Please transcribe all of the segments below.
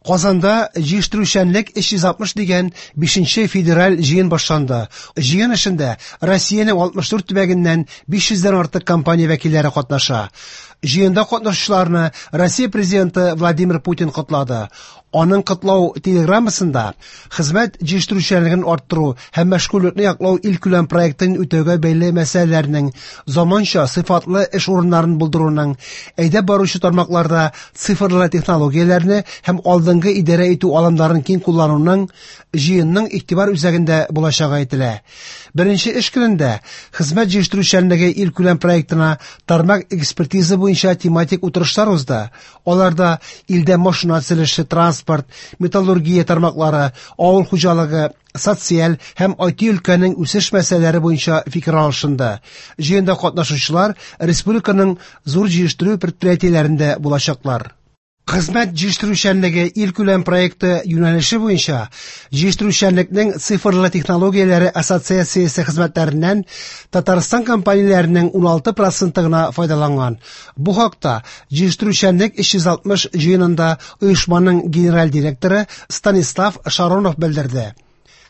Казанда җыештыручанлык 360 дигән 5нче федераль җыен башланды. Җыен эшендә Россиянең 64 төбәгеннән 500 дән артык компания вәкилләре катнаша. Җыенда катнашучыларны Россия президенты Владимир Путин котлады. Аның котлау телеграммасында хезмәт җитештерүчәнлеген арттыру һәм мәшгульлекне яклау илкүләм проектын үтәүгә бәйле мәсьәләләрнең, заманча сыйфатлы эш урыннарын булдыруның, әйдәп баручы тармакларда цифрлы технологияләрне һәм алдынгы идарә итү алымнарын киң куллануның җыенның игътибар үзәгендә булачагы әйтелә. Беренче эш көнендә хезмәт җитештерүчәнлеге илкүләм проектына тармак экспертиза буенча тематик утырышлар узды. Аларда илдә машина төзелеше, транспорт, металлургия тармаклары, авыл хуҗалыгы, социаль һәм IT өлкәнең үсеш мәсьәләләре буенча фикер алышынды. Җыенда катнашучылар республиканың зур җитештерү предприятиеләрендә булачаклар. Хезмәт җитештерүчәнлеге илкүләм проекты юнәлеше буенча җитештерүчәнлекнең цифрлы технологияләре ассоциациясе хезмәтләреннән Татарстан компанияләренең 16% гына файдаланган. Бу хакта җитештерүчәнлек 360 җыенында оешманың генераль директоры Станислав Шаронов белдерде.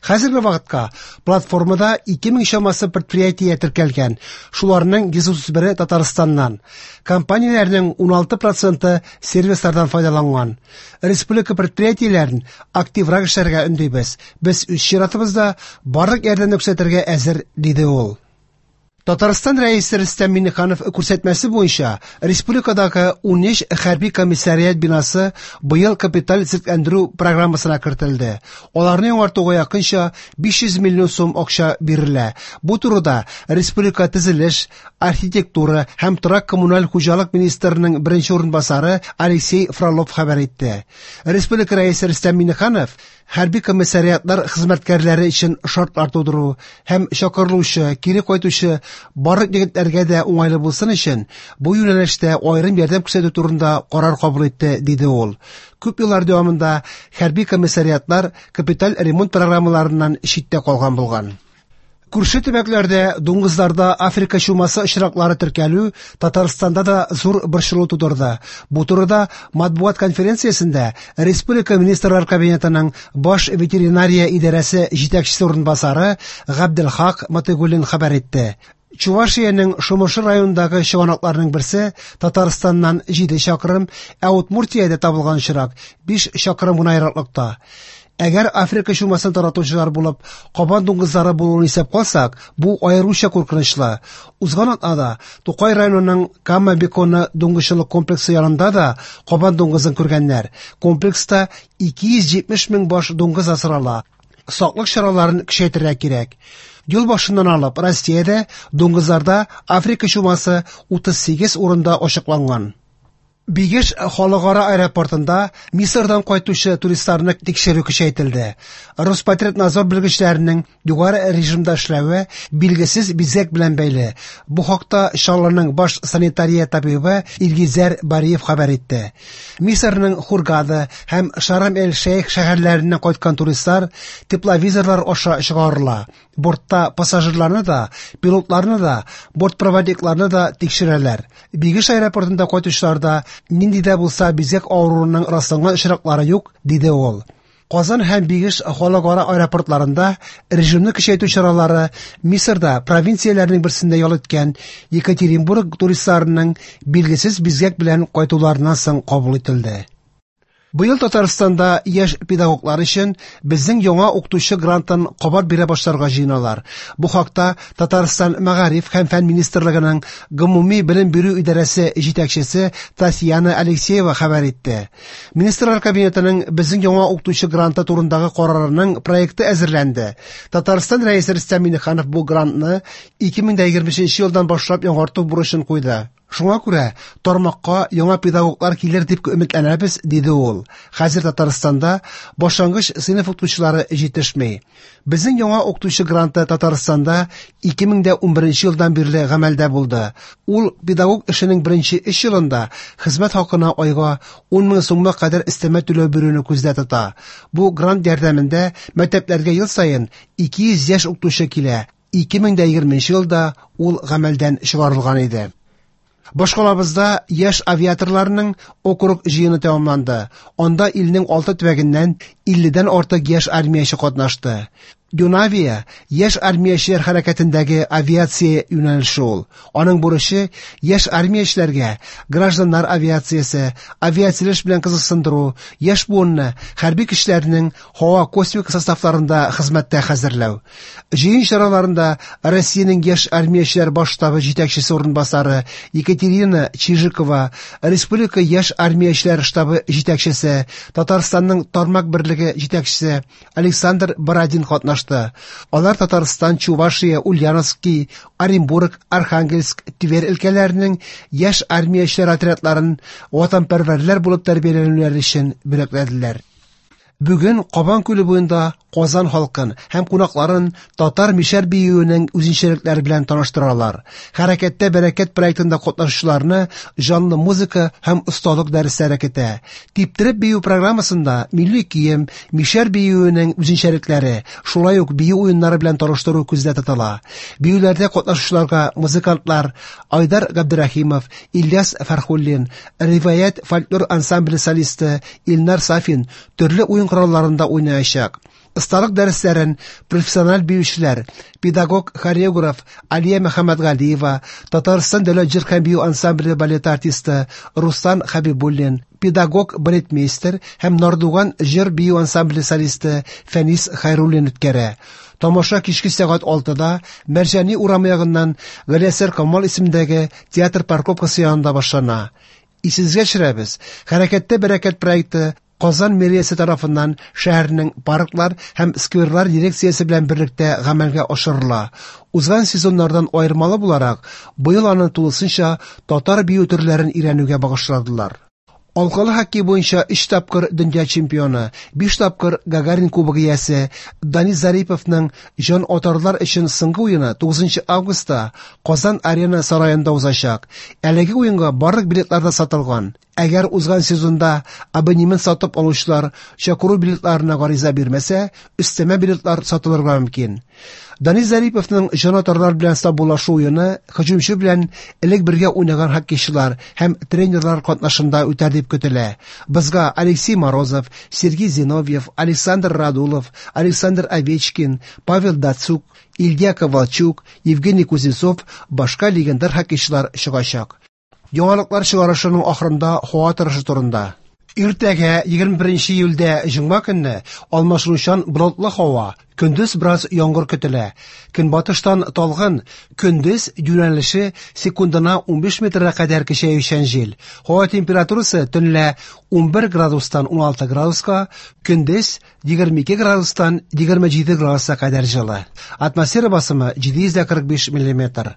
Хәзерге вакытка платформада 2000 чамасы предприятие теркәлгән, шуларның 131-е Татарстаннан. Компанияләрнең 16% сервислардан файдаланган. Республика предприятиеләрен активрак эшләргә өндибез. Без үз чиратыбызда барлык ярдәмне күрсәтергә әзер, диде ул. Татарстан Рәисе Рөстәм Миңнеханов күрсәтмәсе буенча республикадагы 13 хәрби комиссариат бинасы быел капиталь төзекләндерү программасына кертелде. Аларны яңартуга якынча 500 миллион сум акча бирелә. Бу турыда республика төзелеш, архитектура һәм торак-коммуналь хуҗалык министрының беренче урынбасары Алексей Фролов хәбәр итте. Республика Рәисе Рөстәм Миңнеханов хәрби комиссариатлар хезмәткәрләре өчен шартлар тудыру һәм чакырылучы, кире кайтучы барлык егетләргә дә уңайлы булсын өчен бу юнәлештә аерым ярдәм күрсәтү турында карар кабул итте, диде ул. Күп еллар дәвамында хәрби комиссариатлар капиталь ремонт программаларыннан читтә калган булган. Күрше төбәкләрдә дуңгызларда Африка чумасы очраклары теркәлү Татарстанда да зур борчылу тудырды. Бу турыда матбугат конференциясендә Республика Министрлар Кабинетының баш ветеринария идарәсе җитәкчесе урынбасары Габделхак Матыгуллин хәбәр итте. Чувашиянең Шомыршы районындагы чыганакларның берсе Татарстаннан 7 чакрым, ә Удмуртиядә табылган очрак 5 чакрым гына ераклыкта. Әгәр Африка чумасын таратучылар булып кабан дуңгызлары булуын исәп калсак, бу аеруча куркынычлы. Узган атнада Тукай районының Кама Беконы дуңгызчылык комплексы янында да кабан дуңгызын күргәннәр. Комплекста 270 мең баш дуңгыз асрала. Саклык чараларын көчәйтергә кирәк. Ел башыннан алып Россиядә дуңгызларда Африка чумасы 38 урында ачыкланган. Бигеш халыкара аэропортында Мисырдан кайтучы туристларны тикшерү көчәйтелде. Роспотребнадзор белгечләренең югары режимда эшләве билгесез бизгәк белән бәйле. Бу хакта Чаллының баш санитария табибы Илгизәр Бариев хәбәр итте. Мисырның Хургада һәм Шарм-эль-Шейх шәһәрләреннән кайткан туристлар тепловизорлар аша чыгарыла. Бортта пассажирларны да, пилотларны да, бортпроводникларны да тикшерәләр. Бигеш аэропортында кайтучыларда нинди дә булса бизгәк авыруының расланган очраклары юк, диде ул. Казан һәм Бигеш халыкара аэропортларында режимны көчәйтү чаралары Мисырда провинцияләрнең берсендә ял иткән Екатеринбург туристларының билгесез бизгәк белән кайтуларыннан соң кабул ителде. Быел Татарстанда яшь педагоглар өчен безнең яңа укытучы грантын кабат бирә башларга җыеналар. Бу хакта Татарстан Мәгариф һәм фән министрлыгының гомуми белем бирү идарәсе җитәкчесе Татьяна Алексеева хәбәр итте. Министрлар кабинетының безнең яңа укытучы гранты турындагы карарының проекты әзерләнде. Татарстан Рәисе Рөстәм Миңнеханов бу грантны 2023 елдан башлап яңарту бурычын куйды. Шуңа күрә тармакка яңа педагоглар килер дип өметләнәбез, диде ул. Хәзер Татарстанда башлангыч сыйныф укытучылары җитешми. Безнең яңа укытучы гранты Татарстанда 2011 елдан бирле гамәлдә булды. Ул педагог эшенең беренче 3 елында хезмәт хакына айга 10 мең сумга кадәр өстәмә түләү бирүне күздә тота. Бу грант ярдәмендә мәктәпләргә ел саен 200 яшь укытучы килә. 2020 елда ул гамәлдән чыгарылган иде. Башкалабызда яшь авиаторларның округ җыены тәмамланды. Анда илнең 6 төбәгеннән 50дән артык яшь армияче катнашты. Юнавия яшь армиячеләр хәрәкәтендәге авиация юнәлеше ул. Аның бурычы яшь армиячеләргә гражданнар авиациясе, авиацияләш белән кызыксындыру, яшь буынны хәрби көчләрнең һава космик составларында хезмәттә хәзерләү. Җыен чараларында Россиянең яшь армиячеләр баш штабы җитәкчесе урынбасары Екатерина Чижикова, Республика яшь армиячеләр штабы җитәкчесе, Татарстанның тармак берлеге җитәкчесе Александр Бородин катнашты. Алар Татарстан, Чувашия, Ульяновский, Оренбург, Архангельск, Тверь өлкәләренең яшь армиячеләр отрядларын ватанпәрвәрләр булып тәрбияләнүләре өчен бүләкләделәр. Бүген Кабан күле буенда Казан халкын һәм кунакларын татар мишәр биюенең үзенчәлекләре белән таныштыралар. Хәрәкәттә бәрәкәт проектында катнашучыларны җанлы музыка һәм осталык дәресләре көтә. Типтереп бию программасында милли кием, мишәр биюенең үзенчәлекләре, шулай ук бию уеннары белән таныштыру күздә тотыла. Биюләрдә катнашучыларга музыкантлар Айдар Габдрахимов, Ильяс Фәрхуллин, Риваять фольклор ансамбле солисты Илнар Сафин төрле уен коралларында уйнаячак. Осталык дәресләрен профессиональ биючеләр, педагог-хореограф Алия Мөхәммәтгалиева, Татарстан дәүләт җыр һәм бию ансамбле балет артисты Руслан Хәбибуллин, педагог-балетмейстер һәм Нардуган җыр бию ансамбле солисты Фәнис Хайруллин үткәрә. Тамаша кичке сәгать 6-да Мәрҗани урамы ягыннан Галиәсгар Камал исемендәге театр парковкасы янында башлана. Исегезгә төшерәбез, Хәрәкәттә бәрәкәт проекты Казан мэриясе тарафыннан шәһәрнең парклар һәм скверлар дирекциясе белән берлектә гамәлгә ашырыла. Узган сезоннардан аермалы буларак, быел аны тулысынча татар бию төрләрен өйрәнүгә багышладылар. Алкалы хоккей буенча 3 тапкыр дөнья чемпионы, 5 тапкыр Гагарин кубогы иясе Данис Зариповның җан атарлар өчен соңгы уены 9 августта Казан Арена сараенда узачак. Әлеге уенга барлык билетлар да сатылган. Әгәр узган сезонда абонемент сатып алучылар чакыру билетларына гариза бирмәсә, өстәмә билетлар сатылырга мөмкин. Данис Зариповның җан атарлар белән саубуллашу уены һөҗүмче белән элек бергә уйнаган хоккейчылар һәм тренерлар катнашында үтәр дип көтелә. Бозга Алексей Морозов, Сергей Зиновьев, Александр Радулов, Александр Овечкин, Павел Дацюк, Илья Ковальчук, Евгений Кузнецов башка легендар хоккейчылар чыгачак. Яңалыклар чыгарышының ахырында һава торышы турында. Иртәгә 21 июльдә җомга көнне алмашынучан болытлы һава, көндез бераз яңгыр көтелә. Көнбатыштан талгын, көндез юнәлеше секундына 15 метрга кадәр көчәючән җил. Һава температурасы төнлә 11 градустан 16 градуска, көндез 22 градустан 27 градуска кадәр җылы. Атмосфера басымы 745 миллиметр.